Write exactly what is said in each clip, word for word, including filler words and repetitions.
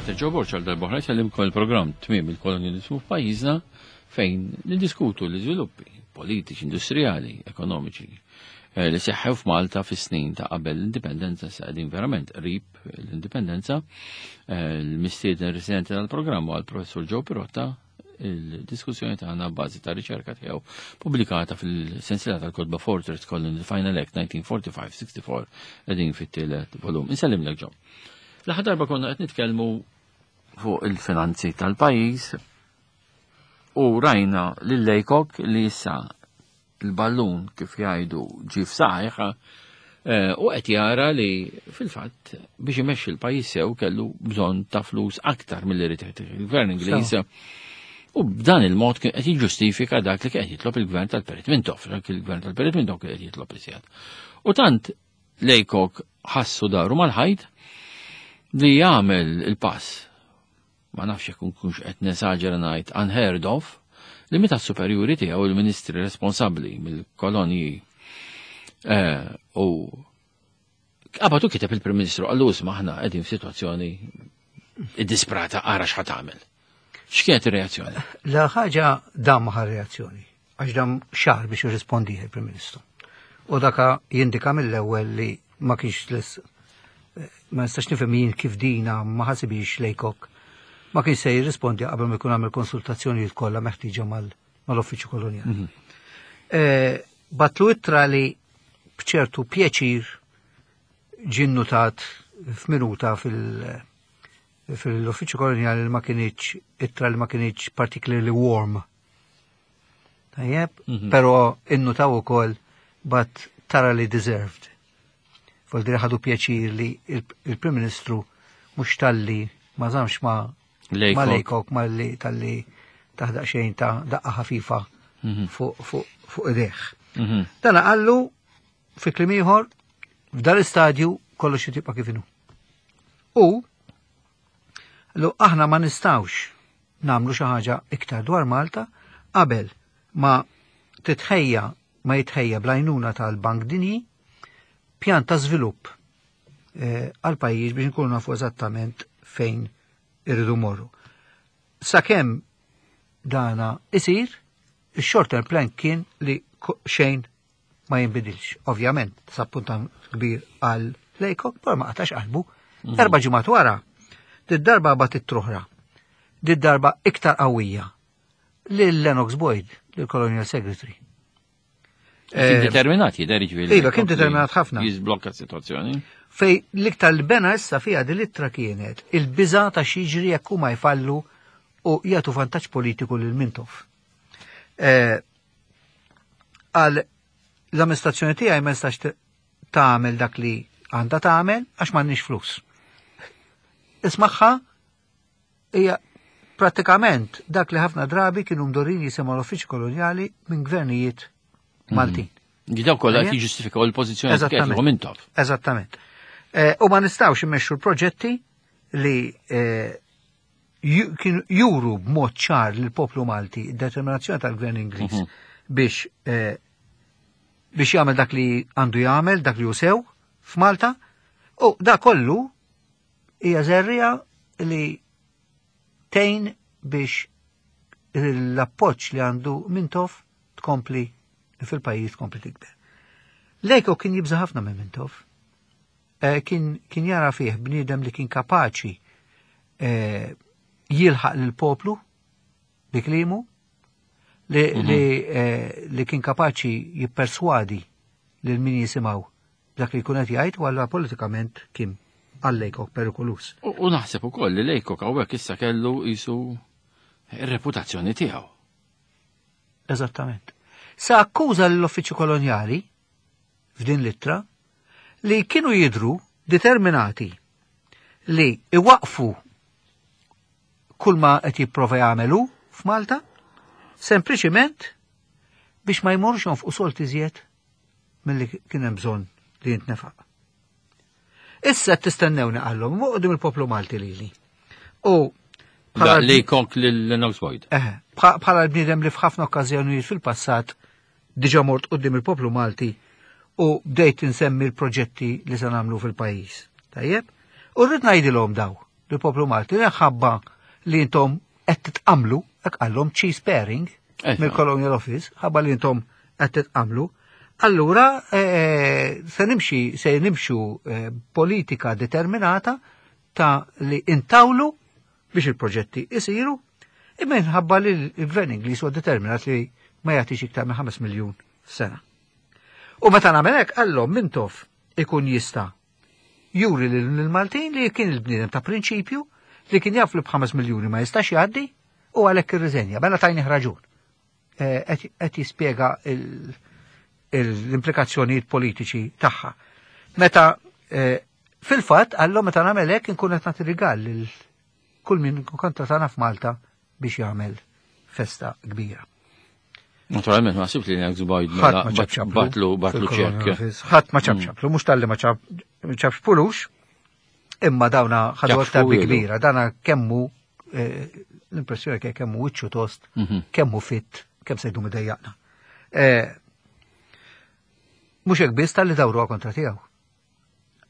Patrick Borg għal darb'oħra jsellimkom il-programm Tmiem il-Kolonjalizmu f'pajjiżna, fejn niddiskutu l-iżviluppi politiċi, industrijali, ekonomiċi eh, li seħħew f'Malta fis-snin ta' qabel l-indipendenza. Sa qegħdin verament qrib l-indipendenza. Eh, l-mistieden residenti tal-programm għal professur Joe Pirotta, il-diskussjoni tagħna bażi ta' riċerka tiegħu pubblikata fil-sensiela tal-kotba Fortress Colony, The Final Act elf disa' mija u erbgħa u ħamsin sitta u erbgħin, qegħdin fit-tielet volum. Insellimlek, Joe. L-aħħar darba konna qed nitkellmu fuq il-finanzi tal-pajjiż u rajna lil Laycock li issa il-ballun, kif jgħidu, ġie f'saqajh eh, u qed jara li fil-fatt biex imexxi l-pajjiż sew kellu bżonn ta' flus aktar milli rid il-gvern Ingliż. U b'dan il-mod kien qed jiġġustifika dak li kien qed jitlob il-gvern tal-Perit Mintoff, dak il-gvern tal-Perit Mintoff kien qed jitlob iżjed. U tant Laycock ħassu daru mal-ħajt li jagħmel il-pass, ma nafx jekk nkunx qed nesaġera ngħid unheard of, li meta s-superjuri tiegħu, il-ministri responsabbli mill-kolonji, eh, u qabatu kiteb il-Prim Ministru, qallu: "Isma', aħna qegħdin f'sitwazzjoni disprata, ara x'ħa tagħmel." X'kienet ir-reazzjoni? La ħaġa dam maħar reazzjoni, għax dam xahar biex jirrispondi il-Prim Ministru. U daka jindika mill-ewwel li ma kienx lis ma nistax nifhem jien kif dina ma ħasibix Laycock, ma kienx se jirrispondi qabel ma jkun għamel konsultazzjonijiet kollha meħtieġa mal-uffiċċju kolonjali. Eh, Bagħatlu ittra li bċertu pjaċir ġie nnotat f'minuta fil- fil-uffiċċju kolonjali li ma kinitx ittra li ma kinitx particularly warm. Tajjeb, Mhm. pero innutaw ukoll "but thoroughly deserved". Voldiri ħadu pjaċir li il- il-Prim Ministru mhux talli ma żamx ma Laycock. ma Laycock, ma li talli taħdaq xejn ta' daqqa ħafifa Mhm. fuq fuq fuq idejh. Mhm. Dana qallu fi kliem ieħor, f'dan l-istadju kollox jibqa' kif inhu. U lu aħna ma nistawx nagħmlu xi ħaġa iktar dwar Malta qabel ma titħejja ma jitħejja bl-għajnuna tal-Bank Dinji pjan ta' żvilupp eh, għal pajjiż biex nkunu nafu eżattament fejn irridu morru. Sakemm dana isir, il-short term plan kien li ko- xejn ma jinbidilx. Ovvjament, disappuntament kbir għal Laycock, però ma qatax qalbu. Erba' ġimgħat wara, did-darba bagħat ittra oħra. Did-darba iktar qawwija lil Lennox Boyd, lil Colonial Secretary. Kien determinat jidher, jiġifieri. Iva, kien determinat ħafna. Jiżblokka s-sitwazzjoni. Fej l-iktar li bena issa fija din l-ittra kienet il-biża ta' x'jiġri jekk huma jfallu u jagħtu vantaġġ politiku lil Mintoff. Eh, Għal l-amministrazzjoni tiegħi ma nistax t- tagħmel dak li għandha tagħmel għax m'għandniex flus. Ismagħha, hija prattikament dak li ħafna drabi kienu mdorrin jisimgħu l-uffiċċju kolonjali minn gvernijiet Maltin. Daw kollha qed Ejja. jiġġustifikaw il-pożizzjoni li Eżattament. kienet Mintoff. Eżattament. Eh, U ma nistawx immexxu l-proġetti li eh, ju- kienu juru b'mod ċar lill poplu Malti determinazzjoni tal-gvern Ingliż Mhm. biex eh, biex jagħmel dak li għandu jagħmel, dak li hu sew f'Malta. U da kollu hija żerriegħa li tgħin biex l-appoġġ li għandu Mintoff tkompli fil-pajjiż, tkompli tikber. Laycock kien jibża ħafna minn Mintoff. Eh, Kien, kien jara fih bniedem li kien kapaċi eh, jilħaq lill-poplu bi kliemu, li, Mhm. li, eh, li kien kapaċi jipperswadi lil min jisimgħu dak li jkun qed jgħid, u allura politikament kien għal Laycock perikoluż. U u naħseb ukoll li Laycock hawnhekk issa kellu jisu ir-reputazzjoni tiegħu. Eżattament. Sa akkuża l-uffiċċju kolonjali f'din l-ittra li kienu jidru determinati li iwaqfu kull ma qed jipprova jagħmelu f'Malta sempliċiment biex ma jmorx jonfqu sold iżjed milli kien hemm bżonn li jintnefaq. Issa qed tistennewni, qallhom, quddiem il-poplu Malti lili. U Da Laycock lil Lennox Boyd. Eħe, bħa- bħala l-bniedem li f'ħafna okkażjonijiet fil-passat diġa mort quddiem il-poplu Malti u bdejt insemmi l-proġetti li se nagħmlu fil-pajjiż. Tajjeb? U rrid ngħidilhom daw lill-poplu Malti li ħabba li intom qed titqamlu, hekk qallhom cheese pairing Eh, mill-Colonial Office, ħabba li intom qed titqamlu. Allura eh, se nimxi se nimxu eh, politika determinata ta' li intawlu biex il-proġetti isiru, imma minħabba li l-gvern Ingliż huwa determinat li ma jagħtix iktar minn ħames miljun f'sena. U meta nagħmel hekk qallhom Mintoff ikun jista' juri lil Maltin li kien il-bniedem ta' prinċipju li kien jaf li b'ħames miljuni ma jistax jgħaddi u għalhekk irriżenja. Mela tajnih raġun. Eh, Qed qed jispjega il- l-implikazzjonijiet politiċi tagħha. Meta eh, fil-fatt qallhom meta nagħmel hekk inkun qed nagħti rigal lil kull min kontra tagħna f'Malta biex jagħmel festa kbira. Naturalment, ma sibx li Lennox Boyd Ħadd mela ma ċapċaplu. batlu batlu fil-Colonial ċekk. Office. Ħadd ma ċapċaplu, mhux talli ma ċapċpulux, imma dawna ħadu aktar bi Ċapċpulu. kbira, dana kemmu eh, l-impressjoni ke kemmu wiċċu tost, Mhm. kemmu fit, kemm se jdum idejjaqna. Eh, Mhux hekk biss talli dawruha kontra tiegħu.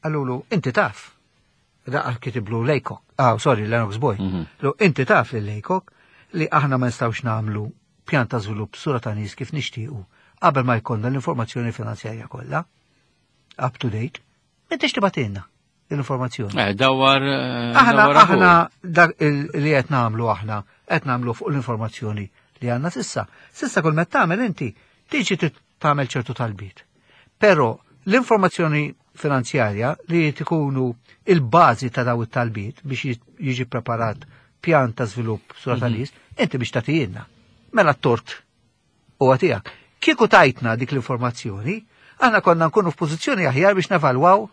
Qalulu, inti taf. Daqqa kitiblu Laycock, ah, sorry, Lennox Boyd. Mhm. Lu, inti taf li Laycock li aħna ma nistgħux nagħmlu pjan ta' żvilupp sura ta' nies kif nixtiequ qabel ma jkollna l-informazzjoni finanzjarja kollha up to date. M'intix tibgħatilna l-informazzjoni. Eh, dawar. eh, Aħna dawar aħu. aħna dak il- li qed nagħmlu aħna qed nagħmlu fuq l-informazzjoni li għandna s'issa. S'issa kull meta tagħmel inti tiġi tit- tagħmel ċertu talbiet. Però l-informazzjoni finanzjarja li tkunu il-bażi ta' daw it-talbiet biex jiġi preparat pjan ta' żvilupp sura ta' nies, inti biex tagħtijielna. Mela t-tort huwa tiegħek. Kieku tajtna dik l-informazzjoni, aħna konna nkunu f'pożizzjoni aħjar biex nevalwaw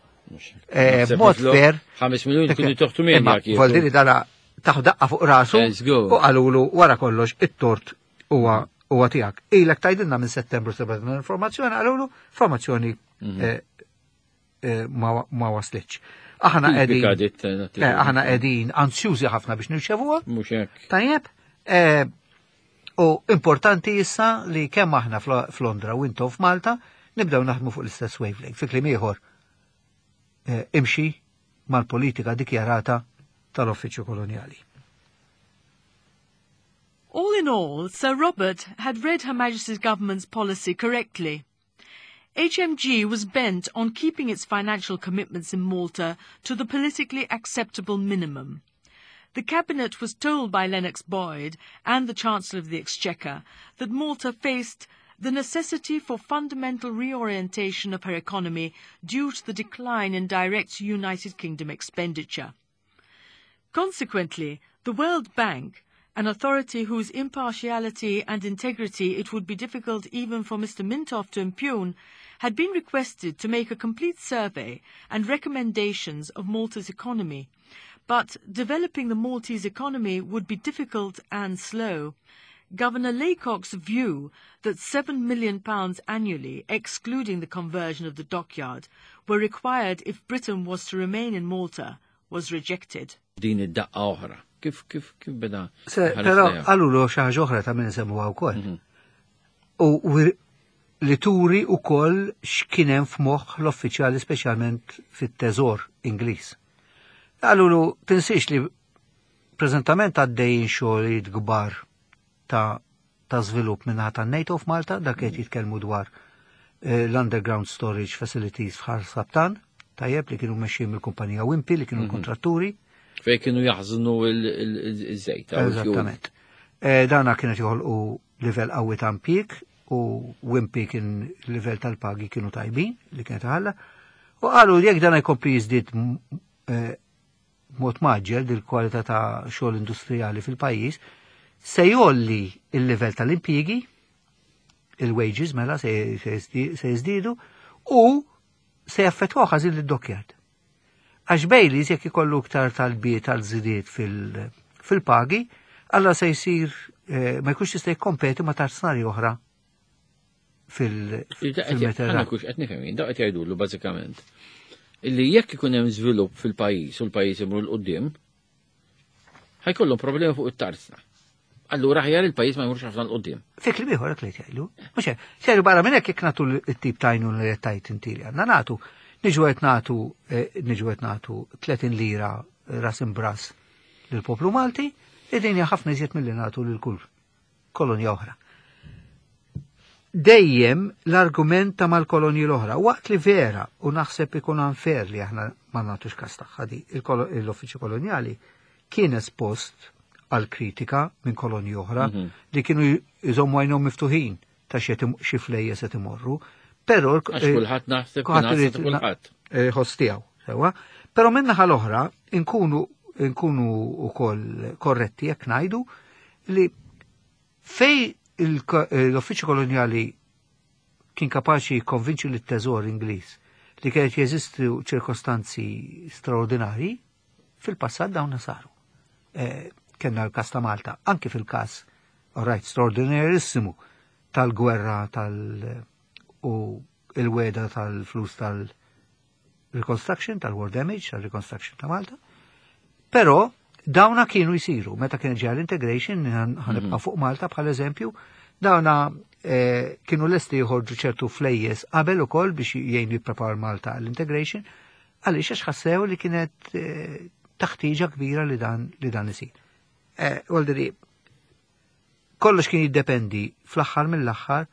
eh, Naħseb b'mod niflu fair. ħames miljoni kunu toħtu minn Imma jekk Voldiri dala taħ daqqa fuq rasu Let's go. u qalulu wara kollox it-tort huwa huwa tiegħek. Ilek tgħidilna minn Settembru sebgħatna l-informazzjoni, qalulu informazzjoni Mhm. eh, eh, ma ma waslitx. Aħna Tipika qegħdin dit, eh, eh, aħna qegħdin ansjużi ħafna biex nirċevuha. Mhux hekk. Tajjeb, eh, u importanti issa li kemm aħna fl- f'Londra u intom f'Malta nibdew naħdmu fuq l-istess wavelength. Fi kliem ieħor, eh, imxi mal-politika dikjarata tal-Uffiċċju Kolonjali. All in all, Sir Robert had read Her Majesty's government's policy correctly. H M G was bent on keeping its financial commitments in Malta to the politically acceptable minimum. The Cabinet was told by Lennox Boyd and the Chancellor of the Exchequer that Malta faced the necessity for fundamental reorientation of her economy due to the decline in direct United Kingdom expenditure. Consequently, the World Bank, an authority whose impartiality and integrity it would be difficult even for Mister Mintoff to impugn, had been requested to make a complete survey and recommendations of Malta's economy. But developing the Maltese economy would be difficult and slow. Governor Laycock's view that seven million pounds annually, excluding the conversion of the dockyard, were required if Britain was to remain in Malta, was rejected. Din id-daqqa oħra. Kif kif kif beda? Se, ħares però lejha? qalulu xi ħaġa oħra ta' min nsemmuha wkoll. U u li turi wkoll x'kien hemm f'moħħ l-uffiċjali, speċjalment fit-teżor Ingliż. Qalulu tinsiex li preżentament għaddejjin xogħlijiet kbar ta' ta' żvilupp minnaħa ta' NATO f'Malta, dak qed jitkellmu dwar eh, l-underground storage facilities f'Ħal Saptan, tajjeb, li kienu mexxin mill-kumpanija Wimpy li kienu l-kontratturi. Fej kienu jaħżnu il-żejt. Eżattament. Eh, Dana kienet joħolqu livell qawwi ta' impjieg u Wimpy kien livell tal-pagi kienu tajbin li kienet ħalla. U qalu jekk dana jkompli jiżdied m- eh, mod mgħaġġel dil-kwalità ta' xogħol industrijali fil-pajjiż, se jgħolli il-livell tal-impjiegi, il-wages mela se se jiżdi- se jiżdiedu u se jaffettwaw ħażin lid-dockyard. Għax Baileys jekk ikollu iktar talbiet tal-żidiet fil- fil-pagi, alla se jsir eh, ma jkunx jista' jikkompeti ma' tarznari oħra fil- Għana fil-Mediterran. kux qed nifhem jien, daw qed jgħidulu bażikament illi jekk ikun hemm żvilupp fil-pajjiż u l-pajjiż imur 'l quddiem, ħajkollhom problemi fuq it-tarzna. Allura aħjar il-pajjiż ma jmurx ħafna 'l quddiem. Fi kliem ieħor hekk li jgħidu. Mhux hekk, seru barra minn hekk jekk nagħtu t-tip ta' għajnuna li qed tgħid inti li għandna nagħtu, niġu qed nagħtu eh, niġu qed nagħtu tletin lira ras imbras. lill-poplu Malti, id hija ħafna iżjed milli nagħtu lil kull kolonja oħra. Dejjem l-argument ta' mal-kolonji l-oħra, waqt li vera, u naħseb ikun unfair li aħna ma nagħtux kas tagħha di, l-uffiċċju kolonjali kien espost għal kritika minn kolonji oħra mhm. li kienu jżommu għajnhom miftuħin ta' xi flejjes qed imorru, però għax kulħadd naħseb kulħadd. Eh, ħoss tiegħu, sewwa. Però min-naħa l-oħra nkunu nkunu wkoll korretti jekk ngħidu li fej l-uffiċċju kolonjali kien kapaċi jikkonvinċi lit-teżor Ingliż li kienet jeżistu ċirkostanzi straordinari, fil-passat dawn saru. Eh, Kenna l-kas ta' Malta, anki fil-kas, all right, straordinarissimu tal-gwerra tal- u il-weda tal-flus tal-reconstruction, tal-war damage, tal-reconstruction ta' Malta. Però dawna kienu jisiru, meta kien ġeja l-integration, ħa nibqa' mhm. fuq Malta bħal eżempju, dawna eh, kienu lesti jħorġu ċertu flejjes qabel ukoll biex jgħinu jipprepar Malta għall-integration, għaliex għax ħassew li kienet eh, taħtiġa kbira li dan li dan isir. Eh, kollox kien jiddependi fl-aħħar mill-aħħar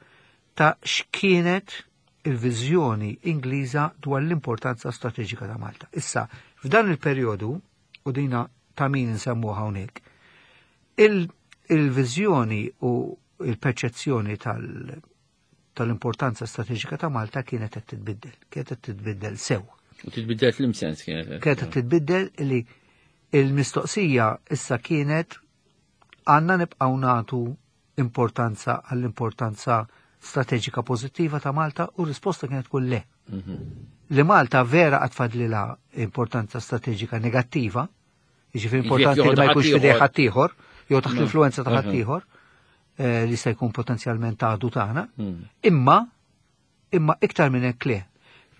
ta' x'kienet il-viżjoni Ingliża dwar l-importanza strateġika ta' Malta. Issa, f'dan il-perjodu, u dina ta' min nsemmu hawnhekk, il-viżjoni u il-perċezzjoni tal-importanza strateġika ta' Malta kienet qed titbiddel, kienet qed titbiddel sew. U titbiddel fl-imsens kienet. Kienet qed titbiddel li il-mistoqsija issa kienet għandna nibqgħu nagħtu importanza għall-importanza strateġika pożittiva ta' Malta u risposta kienet tkun le. Mhm. Li Malta vera għad fadlilha importanza strateġika negattiva, jiġifieri importanti li ma jkunx f'idej ħaddieħor, jew taħt l-influenza ta' ħaddieħor, eh, li se jkun potenzjalment għadu tagħna, mm. imma imma iktar minn hekk le.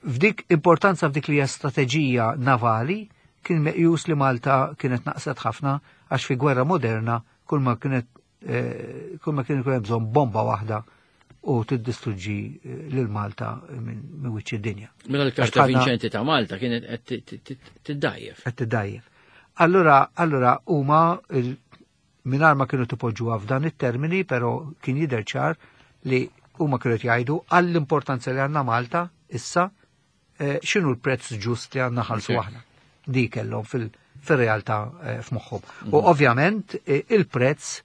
F'dik importanza f'dik li hija strateġija navali kien meqjus li Malta kienet naqset ħafna għax fi gwerra moderna kull ma kienet eh, kull ma kien ikun hemm bżonn bomba waħda u tiddistruġġi eh, lil Malta minn wiċċ id-dinja. Mela l-karta vinċenti ta' Malta kienet qed tiddajjef. Qed tiddajjef. Allura, allura huma mingħajr ma kienu tipoġġuha f'dan it-termini, però kien jidher ċar li huma kienu jgħidu għall-importanza li għandna Malta issa eh, x'inhu l-prezz ġust li għandna ħalsu aħna. Di kellhom fil-realtà eh, f'moħħhom. U mhm. ovvjament il-prezz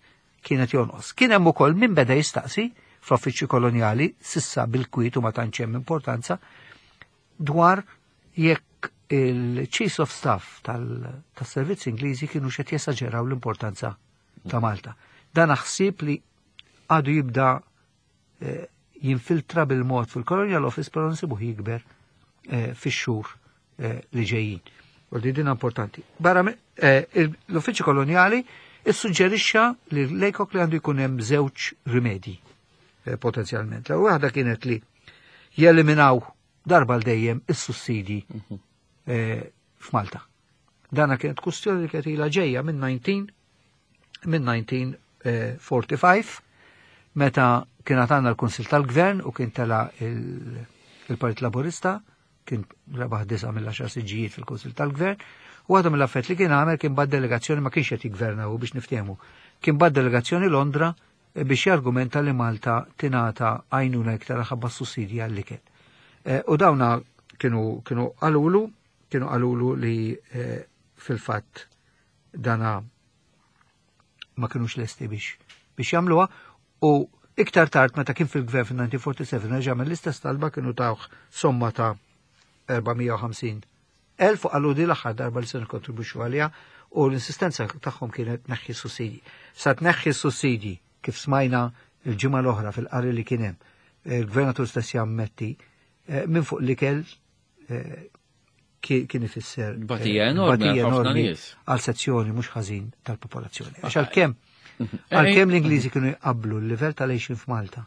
kienet jonqos. Kien hemm ukoll min beda jistaqsi fl-uffiċċju kolonjali, sissa bil-kwiet u ma tantx hemm importanza, dwar jekk il-Chiefs of Staff tal-servizzi Ingliżi kienu xed jesaġeraw l-importanza ta' Malta. Dan ħsieb li għadu jibda eh, jinfiltra bil-mod fil-Colonial Office, però nsibuh jikber eh, fix-xhur eh, li ġejjin. U di din importanti. Barra l-Uffiċċju Kolonjali issuġġerixxa li l-Laycock li għandu jkun hemm żewġ rimedji. Eh, potenzjalment. L waħda kienet li jeliminaw darba l dejjem is-sussidji mhm. eh, f'Malta. Dana kienet kustjoni li kienet ilha ġejja minn minn elf disa' mija u erbgħa u erbgħin meta kien għandna l-Kunsil tal-Gvern u kien tela il-Partit Laburista, kien rebaħ disa' mill-għaxar siġġijiet fil-Kunsil tal-Gvern, u għadhom l-affett li kien għamel kien bagħat delegazzjoni, ma kienx qed jigverna u biex niftehmu, kien bagħat delegazzjoni Londra biex jargumenta li Malta tingħata għajnuna iktar ħabba sussidji għall-ikel. Eh, u dawna kienu kienu qalulu kienu qalulu li eh, fil-fatt dana ma kienux lesti biex biex jagħmluha u iktar tard meta kien fil-gvern fil-elf disa' mija u seba' u erbgħin reġa' l-istess talba, kienu tawh somma ta' erba' mija u ħamsin elf u qalu di l-aħħar darba li se nikkontribwixxu għaliha u l-insistenza tagħhom kienet neħħi sussidji. Sa tneħħi sussidji kif smajna il-ġimgħa l-oħra fil-qari li kien hemm, il-gvernatur stess jammetti eh, minn fuq l-ikel eh, kien ifisser eh, batija enormi għal sezzjoni mhux ħażin tal-popolazzjoni. Għax għalkemm għalkemm l-Ingliżi kienu jqablu l-livell tal-għixin f'Malta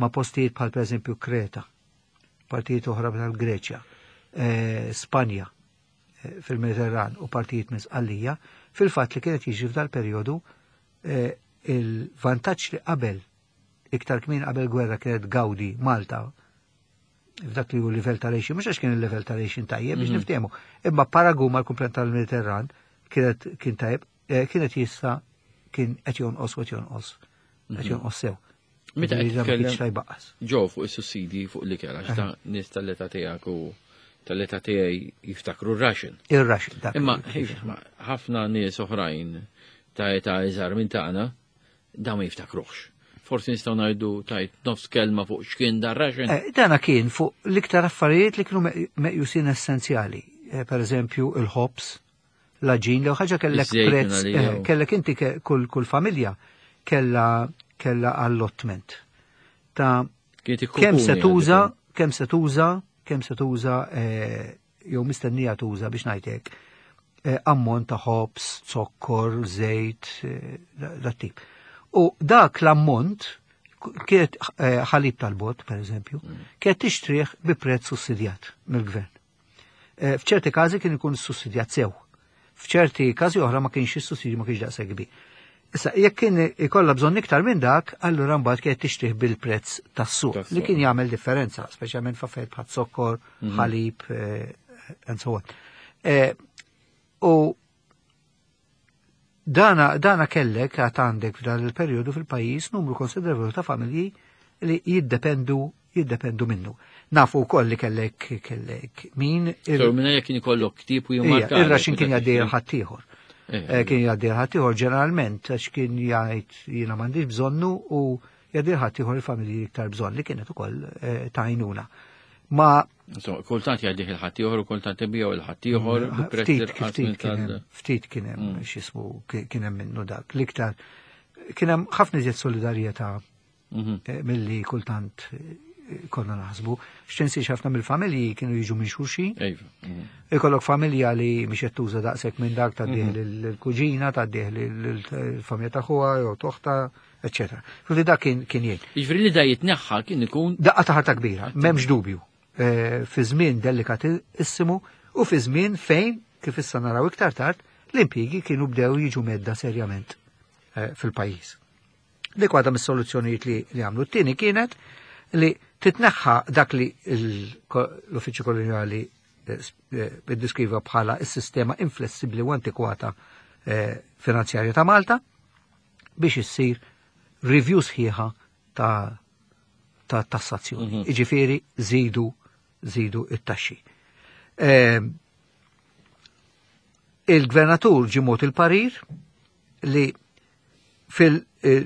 ma' postijiet bħal pereżempju Kreta, partijiet oħra tal-Greċja, Spanja fil-Mediterran u partijiet minn Sqallija, fil-fatt li kienet jiġi f'dal perjodu il-vantaġġ li qabel iktar kmin qabel gwerra kienet gawdi Malta f'dak li hu livell tal-għixin, mhux għax kien il-livell tal-għixin tajjeb biex mhm. niftehmu, imma paragun mal-kumplament tal-Mediterran kienet kien tajb, eh, kienet jissa kien qed jonqos u qed jonqos. Qed jonqos sew. Meta qed Ġifieri ma titkellem- kienx tajb aqqas. Ġo fuq is-sussidi fuq l-ikel, għax ta' nies tal-età tiegħek u tal-età tiegħi jiftakru r-ration. Ir-ration dak. Imma ma ħafna nies oħrajn ta' età iżgħar minn tagħna dawn ma jiftakruhx. Forsi nistgħu ngħidu tajt nofs kelma fuq x'kien dar ration. Eh, Dana kien fuq l-iktar affarijiet li kienu me- meqjusin essenzjali. Eh, Per eżempju, il-ħobż, l-għaġin, li ħaġa kellek Iż-żejt prezz, minn għalija eh, u- kellek inti ke- kull kull familja kella kella allotment ta' Kienet kemm se ikkupuni tuża, għal kemm se tuża, kemm se tuża eh, jew mistennija tuża biex ngħidlek eh, ammont ta' ħobż, zokkor, żejt, eh, da- dat tip. U dak l-ammont kienet eh, ħalib tal-bot, per eżempju, kienet tixtrih bi prezz sussidjat mill-gvern. Eh, F'ċerti każi kien ikun sussidjat sew. F'ċerti każi oħra ma kienx is-sussidju ma kienx daqshekk kbir. Issa, jekk kien ikollha bżonn iktar minn dak, allura mbagħad kienet tixtrih bil-prezz tas-suq Tas-suq. li kien jagħmel differenza, speċjalment f'affarijiet bħal zokkor, ħalib, eh, and so on. Eh, U dana, dana kellek għat għandek f'dan il-periodu fil-pajjiż numru konsiderevoli ta' familji li jiddependu jiddependu minnu. Nafu wkoll li kellek kellek min il- So, minna jekk kien ikollok ktieb u Ija, jimmarka. ir-ration kien jgħaddi ħaddieħor. Eh, Eh, Kien jgħaddi ħaddieħor ġeneralment għax kien jgħid jiena m'għandix bżonnu u jgħaddi ħaddieħor il-familji iktar bżonn li kienet ukoll eh, ta' għajnuna. Ma Insomma, kultant jgħaddih il-ħaddieħor u kultant ibiegħu il-ħaddieħor bi prezz ftit irqas ftit minn kien hemm tal- ftit kien hemm x'ismu kien hemm minnu dak. L-iktar kien hemm ħafna iżjed solidarjetà Mhm. eh, milli kultant eh, konna naħsbu. X'tinsiex ħafna mill-familji kienu jiġu minn xulxin. Ejva. mhm. Ikollok familja li mhix qed tuża daqshekk minn dak tgħaddih lill-kuġina, tgħaddih lill-familja ta' ħuha jew toħta, eċċetera. Ġifieri dak kien kien jgħin. Jiġifieri li da jitneħħa kien ikun Daqqa ta' ħarta kbira, m'hemmx dubju. Eh, Fi żmien delikatissimu u fi żmien fejn, kif issa naraw iktar tard, l-impjiegi kienu bdew jiġu mhedda serjament eh, fil-pajjiż. Dik waħda mis-soluzzjonijiet li, li għamlu. T-tieni kienet li titneħħa dak li l- l-Uffiċċju Koloniali eh, s- eh, iddeskriva bħala s-sistema inflessibbli u antikwata eh, finanzjarja ta' Malta biex issir review sħiħa ta' ta' tassazzjoni. Iġifieri żidu żidu it-taxxi. Eh, Il-gvernatur ġie mogħti il-parir li fil eh,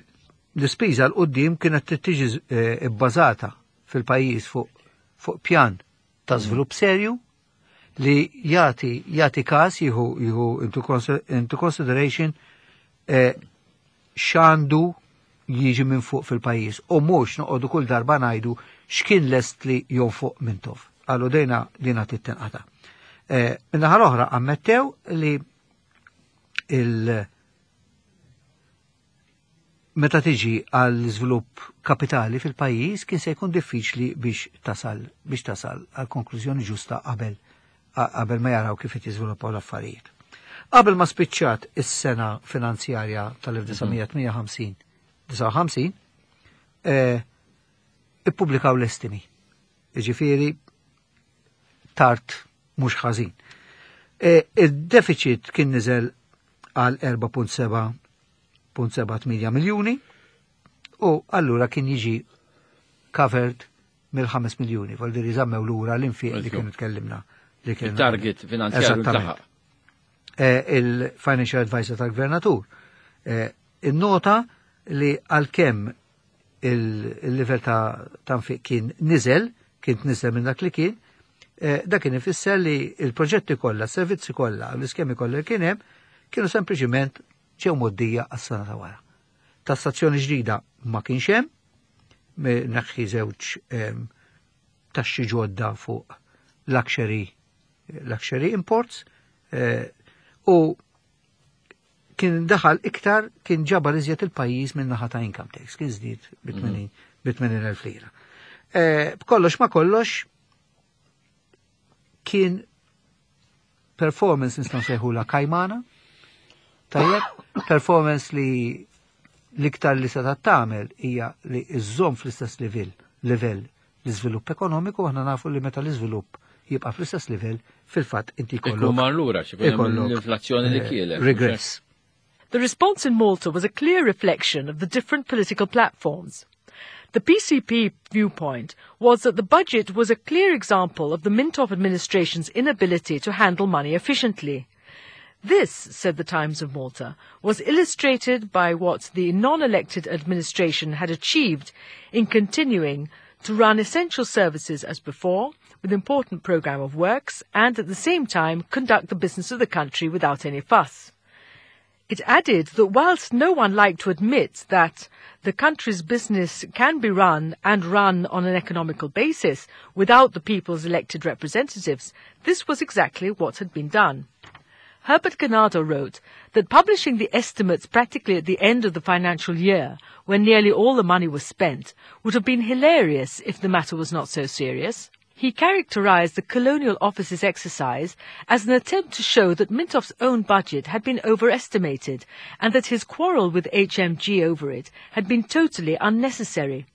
l-ispiża l-qoddim kienet tiġi eh, bbażata fil-pajjiż fuq fuq pjan ta' żvilupp serju li jagħti jagħti każ jieħu jieħu into, consi- into consideration eh, x'għandu jiġi minn fuq fil-pajjiż u mhux noqogħdu kull darba ngħidu x'kien lest li jonfoq Mintoff. Qalu dejna dina tittenqata. Eh, Min-naħa l-oħra ammettew li il- meta tiġi għal żvilupp kapitali fil-pajjiż kien se jkun diffiċli biex tasal biex tasal għal konklużjoni ġusta qabel qabel ma jaraw kif qed jiżviluppaw l-affarijiet. Qabel ma spiċċat is-sena finanzjarja tal-elf disa' mija tmienja u ħamsin eh, ippubblikaw l-estimi. Jiġifieri tard mhux ħażin. Eh, Il-deficit kien niżel għal erbgħa punt seba' miljuni u allura kien jiġi covered mill-ħames miljuni, vol diri żammew lura l-infiq li kienu tkellimna. Li kienu- il-target finanzjarju Eżattament. ntlaħaq. Eh, il-financial advisor tal-gvernatur. Eh, Innota li għalkemm il-livell ta' ta' nfiq kien niżel, kien niżel minn dak li kien, eh, dak kien ifisser li il-proġetti kollha, s-servizzi kollha, l-iskemi kollha li kien hemm, kienu sempliċiment ġew mgħoddija għas-sena ta' wara. Tassazzjoni ġdida ma kienx hemm, me- neħħi żewġ em, taxxi ġodda fuq luxury luxury imports eh, u kien daħal iktar kien ġabar iżjed il-pajjiż minn naħa ta' income tax, kien żdied bi tmenin elf lira. Eh, B'kollox ma kollox kien performance nistgħu nsejħula kajmana, tajjeb, performance li l-iktar li seta' tagħmel hija li iżżomm fl-istess livell livell l-iżvilupp ekonomiku, aħna nafu li meta l-iżvilupp jibqa' fl-istess livell, fil-fatt inti Ikun jkollok mar lura xi jkun hemm ikollok, l-inflazzjoni li eh, kielet. Regress. The response in Malta was a clear reflection of the different political platforms. The P C P viewpoint was that the budget was a clear example of the Mintoff administration's inability to handle money efficiently. This, said the Times of Malta, was illustrated by what the non-elected administration had achieved in continuing to run essential services as before, with important program of works, and at the same time conduct the business of the country without any fuss. It added that whilst no one liked to admit that the country's business can be run and run on an economical basis without the people's elected representatives, this was exactly what had been done. Herbert Ganado wrote that publishing the estimates practically at the end of the financial year, when nearly all the money was spent, would have been hilarious if the matter was not so serious. He characterized the Colonial Office's exercise as an attempt to show that Mintoff's own budget had been overestimated and that his quarrel with H M G over it had been totally unnecessary.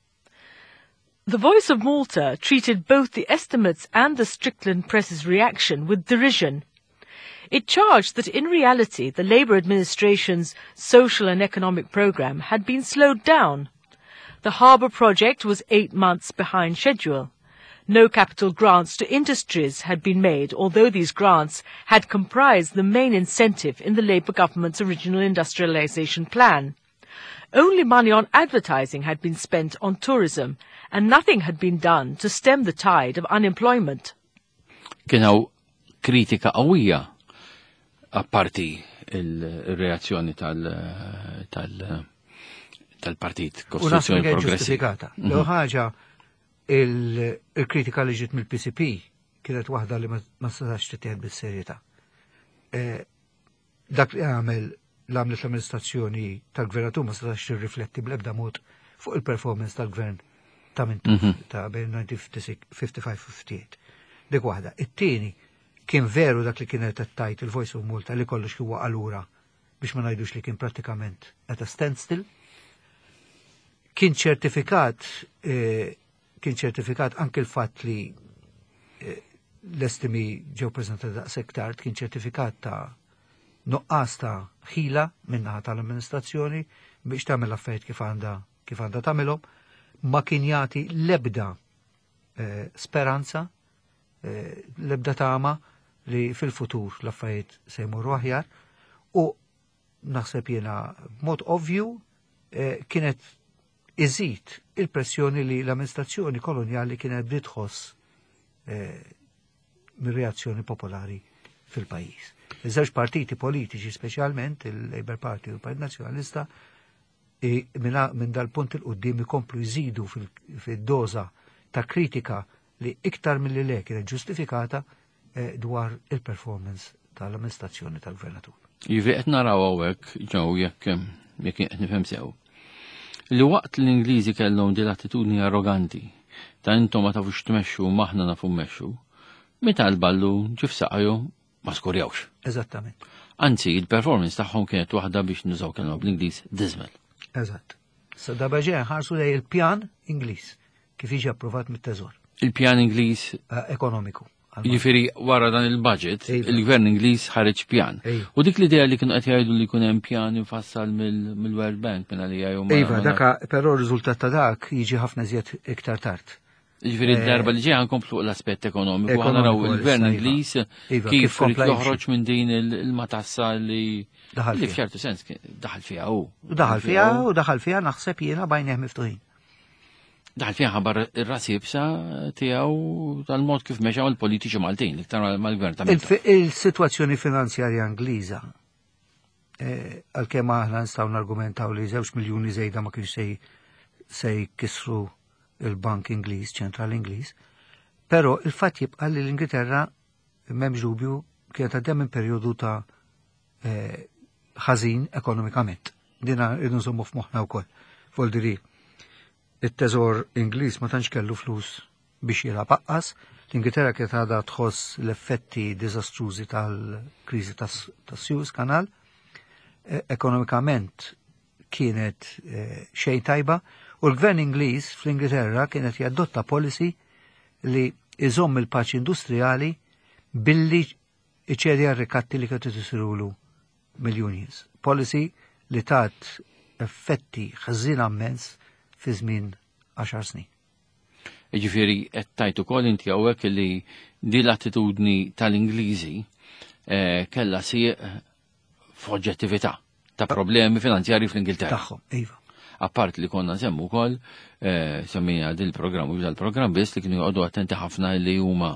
The Voice of Malta treated both the estimates and the Strickland press's reaction with derision. It charged that in reality the Labour administration's social and economic programme had been slowed down. The harbour project was eight months behind schedule. No capital grants to industries had been made, although these grants had comprised the main incentive in the Labour government's original industrialisation plan. Only money on advertising had been spent on tourism, and nothing had been done to stem the tide of unemployment. Kien hawn kritika qawwija apparti il-reazzjoni tal- tal- tal-Partit U naħseb Kostituzzjoni kienet Progressiva. Ġustifikata. L ħaġa, il-kritika li ġiet mill-P C P kienet waħda li ma ma setax tittieħed bis-serjetà. Eh, Dak li għamel l-għamlet l-amministrazzjoni tal-gvernatur ma setax tirrifletti bl-ebda mod fuq il-performance tal-gvern ta' Mintoff ta' bejn elf disa' mija ħamsa u ħamsin u ħamsa u sebgħin. Dik waħda. It-tieni, kien veru dak li kienet qed tgħid il-Voice of Malta li kollox kien waqa' lura, biex ma ngħidux li kien prattikament at a standstill. Kien ċertifikat eh, kien ċertifikat anke l-fatt li eh, l-estimi ġew preżentati daqshekk tard, kien ċertifikat ta' nuqqas ta' ħila min-naħa tal-amministrazzjoni biex tagħmel affarijiet kif għandha kif għandha tagħmilhom, ma kien jagħti l-ebda eh, speranza, eh, l-ebda tama li fil-futur l-affarijiet se jmorru aħjar u naħseb jiena b'mod ovvju eh, kienet iżid il-pressjoni li l-amministrazzjoni koloniali kienet bdiet tħoss eh, mir-reazzjoni popolari fil-pajjiż. Iż-żewġ partiti politiċi, speċjalment il-Labour Party u l-Partit Nazzjonalista, i- minna- minn dal-punt 'il quddiem ikomplu jżidu fil- fil-doża ta' kritika li iktar mill-li le kienet ġustifikata eh, dwar il-performance tal-amministrazzjoni tal-gvernatur. Jiġifieri qed naraw hawnhekk ġew, jekk jekk qed nifhem sew, li waqt l-Ingliżi kellhom din l-attitudni arroganti ta' intom ma tafux tmexxu, aħna nafu mmexxu, meta l-ballu ġie f'saqajhom ma skurjawx. Eżattament. Anzi, il-performance tagħhom kienet waħda, biex nużaw kelma bl-Ingliż, dismal. Eżatt. Sa darba ġej ħarsu lej il-pjan Ingliż kif jiġi approvat mit-Teżor Il-pjan Ingliż eh, ekonomiku. Jiġifieri wara dan il-budget, Iva. il-gvern Ingliż ħareġ pjan. Iva. U dik l-idea li kienu qed jgħidu li jkun hemm pjan infassal mill- mill-World Bank minn għalija jew ma- Iva, ma- daka, però r-riżultat ta' dak jiġi ħafna iżjed iktar tard. Jiġifieri d-darba li ġej ħankomplu l-aspett ekonomiku, ħa naraw Ekonomiku il-gvern issa, iva. Ingliż Iva, kif kif kompla irid joħroġ minn din il- il-matassa li Daħal li fiha. f'ċertu sens kien- daħal fiha hu. U daħal fiha u daħal fiha naħseb jiena b'għajnejh miftuħin. Daħal fiha ħabar ir-ras iebsa tiegħu tal-mod kif mexaw il-politiċi Maltin, iktar mal-gvern ta' Mintoff. Il- Il-situazzjoni finanzjarja Ingliża, eh, għalkemm aħna nistgħu nargumentaw li żewġ miljuni żejda ma kienx se se jkissru il-Bank Ingliż, ċentral Ingliż, però il-fatt jibqa' li l-Ingilterra, m'hemmx dubju, kienet għaddejja minn perjodu ta' eh, ħażin ekonomikament. Dina rridu nżommu f'moħħna wkoll. Voldiri, it-teżor Ingliż ma tantx kellu flus biex jilgħab aqqas, l-Ingilterra kienet għadha tħoss l-effetti diżastrużi tal-kriżi tas-Suez Canal, Eh, ekonomikament kienet eh, xejn tajba u l-gvern Ingliż fl-Ingilterra kienet jadotta policy li iżomm il-paċi industrijali billi iċedi għar-rikatti li kienu isirulu mill-unions. Policy li tat effetti ħżiena immens fi żmien għaxar snin. Ġifieri qed tajt ukoll inti hawnhekk li di l-attitudni tal-Ingliżi eh, kella sieq f'oġġettività ta' problemi finanzjari fl-Ingilterra. Tagħhom, iva. Apart li konna semmu wkoll, eh, semmija dil-programm u dal-programm biss li kienu joqogħdu attenti ħafna li huma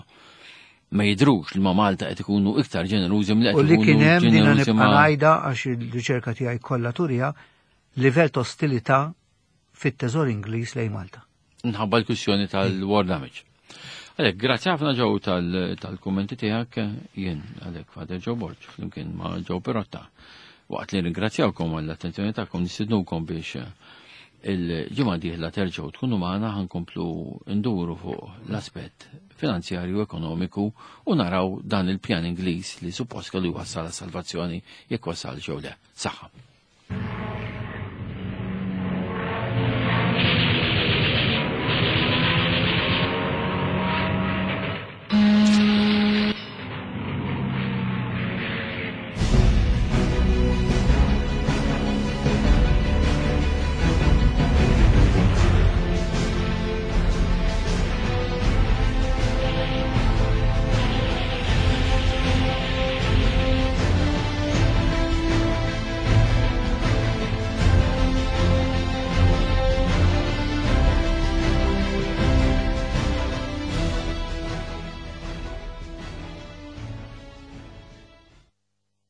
ma jidrux li ma' Malta qed ikunu iktar ġenerużi milli U qed li kien ikunu hemm dina ġenerużi nibqa' ma' ngħidha għax il-riċerka tiegħi kollha turija livell ta' ostilità fit-teżor Ingliż lejn Malta. Nħabba l-kwistjoni tal-war damage. Għalek, grazzi ħafna Joe tal- tal-kummenti tiegħek, jien għalek Father Joe Borg, flimkien ma' Joe Pirotta. Waqt li ringrazzjawkom għall-attenzjoni tagħkom, nistidnukom biex eh, il-ġimgħa dieħla terġgħu tkunu magħna, ħa nkomplu nduru fuq l-aspett finanzjarju ekonomiku u naraw dan il-pjan Ingliż li suppost kellu jwassal salvazzjoni jekk wasal jew le. Saħħa.